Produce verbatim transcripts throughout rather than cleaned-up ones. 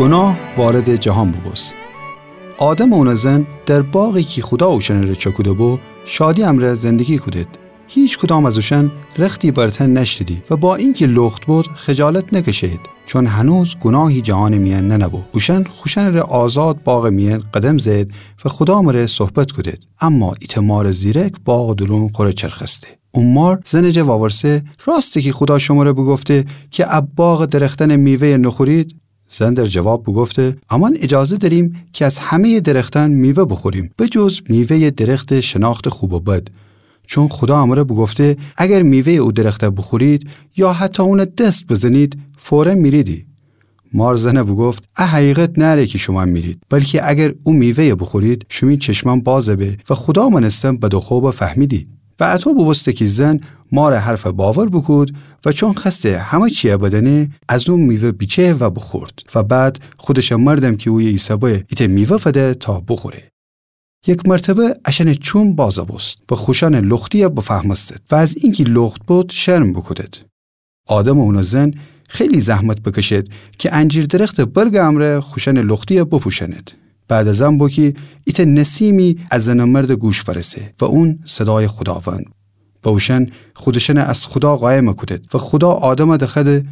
گوناه واردٚ جهان بوبوست. آدم و اونٚ زن در باغی کی خودا اوشأنٚره چأکوده‌بو، شادی امرأ زندگی کودید. هیکدام از اوشأن رختی بر تن نأشتیدی و با اینکی لخت بود، خجالت نکشه‌یید، چون هنوز گوناهی جهانٚ میأن ننه‌بو. اوشأن خوشأنٚره آزاد باغٚ میأن قدم زه‌یید و خودا مره صحبت کودید. اما ایتأ مارٚ زیرک باغٚ دورون خوره چرخسته. او مار زنٚ جا وأورسه: راسته کی خودا شمره بوگفته کی ا باغٚ درختأنٚ میوه‌یَ نوخورید؟ زن در جواب بوگفته: امأن ایجازه دأریم کی از همه‌یٚ درختأن میوه بوخوریم، به جز میوه‌یٚ درختٚ شناختٚ خوب و بد. چون خودا امره بوگفته: اگر میوه‌یٚ او درخت بوخورید یا حتی اونَ دس بزنید، فوراً میریدی. مار زنَ بوگفت: ا حقیقت نأره کی شومأن میرید، بلکی اگر او میوه‌یَ بوخورید، شیمی چشمأن باز به و خودا مأنستن بد و خب بفهمیدی. و اطو بوبوسته کی زن مارٚ حرفَ باور بوکود و چون خوأسته همه چیَ بدأنه، از او میوه بیچه و بوخورد و بعد خودشٚ مردم کی اویه ایسه‌به ایتأ میوه فده تا بوخوره. یک مرتبه اشأنٚ چوم باز بوست و خوشأنٚ لختیَ بفهمستید و از اینکی لخت بود شرم بوکودید. آدم و اونٚ زن خیلی زحمت بکشید کی انجیر درختٚ برگٚ امرأ خوشأنٚ لختیَ بپوشأنید. بعد از ان بو کی ایتأ نسیمی از زنٚ مردٚ گوش فأرسه و اون صدایٚ خوداوند. و اوشأن خودشأنَ از خودا قایم کودید و خودا آدمَ دخوأده: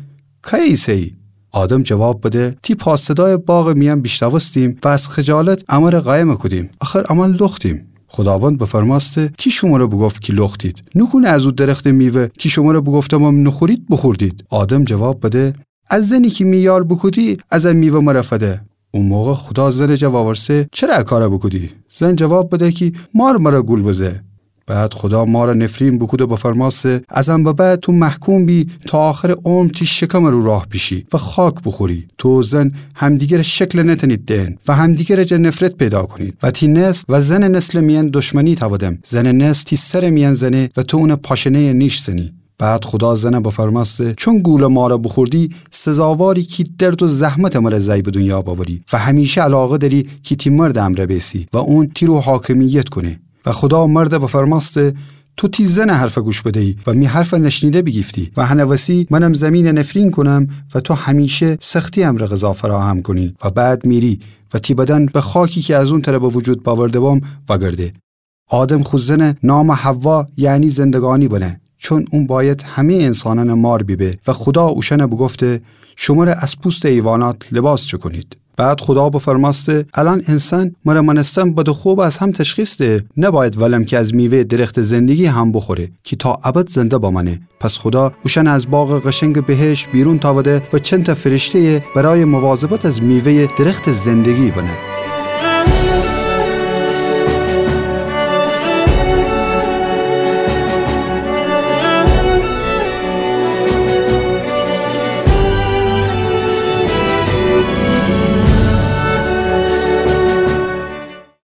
کی ایسه‌یی؟ آدم جواب بده: تی پا صدایَ باغٚ میأن بیشنوستیم و از خجالت امره قایم کودیم، آخر امأن لختیم. خوداوند بفرمأسته: کی شمره بوگفت کی لختید؟ نوکونه از او درختٚ میوه کی شمره بوگفتمم نوخورید، بوخوردید؟ آدم جواب بده: ا زنی کی می یار بوکودی، از ا میوه مره فده. او موقع خودا زنٚ جا وأورسه: چره ا کارَ بوکودی؟ زن جواب بده کی مار مره گول بزه. بعد خودا مارَ نفرین بوکود و بفرمأسته: از ان به بعد تو محکوم بی تا آخرٚ عمر تی شکمٚ رو راه بیشی و خاک بوخوری. تو و زن همدیگرٚ شکلَ نتأنید دئن و همدیگرٚ جا نفرت پیدا کونید و تی نسل و زنٚ نسلٚ میأن دشمنی تأودم. زنٚ نسل تی سرٚ میأن زنه و تو اونٚ پاشنه‌یَ نیش زنی. بعد خودا زنَ بفرمأسته: چون گولٚ مارَ بوخوردی، سزاواری کی درد و زحمتٚ مره زأی به دونیا بأوری و همیشه علاقه دأری کی تی مردٚ امرأ بیسی و اون تی رو حاکمیت کونه. و خودا مردَ بفرمأسته: تو تی زنٚ حرفَ گوش بده‌یی و می حرفَ نشنیده بیگیفتی و هنٚ وسی منم زمینَ نفرین کونم و تو همیشه سختی امرأ غذا فراهم کونی و بعد میری و تی بدن به خاکی کی از اون تره به وجود بأورده‌بم وأگرده. آدم خو زنٚ نامَ حوا، یعنی زندگانی بنه، چون اون بأید همه‌یٚ انسانأنٚ مار بیبه و خودا اوشأنَ بوگفته: شمره از پوستٚ حیوانات لباس چکونید. بعد خودا بفرمأسته: الأن انسان مره مأنستن بد و خب از هم تشخیص ده، نبأید ولم کی از میوه‌یٚ درختٚ زندگی هم بوخوره کی تا ابد زنده بمأنه. پس خودا اوشأنَ از باغٚ قشنگٚ بهشت بیرون تأوده و چندتأ فرشته‌یَ برایٚ مواظبت از میوه‌یٚ درختٚ زندگی بنه.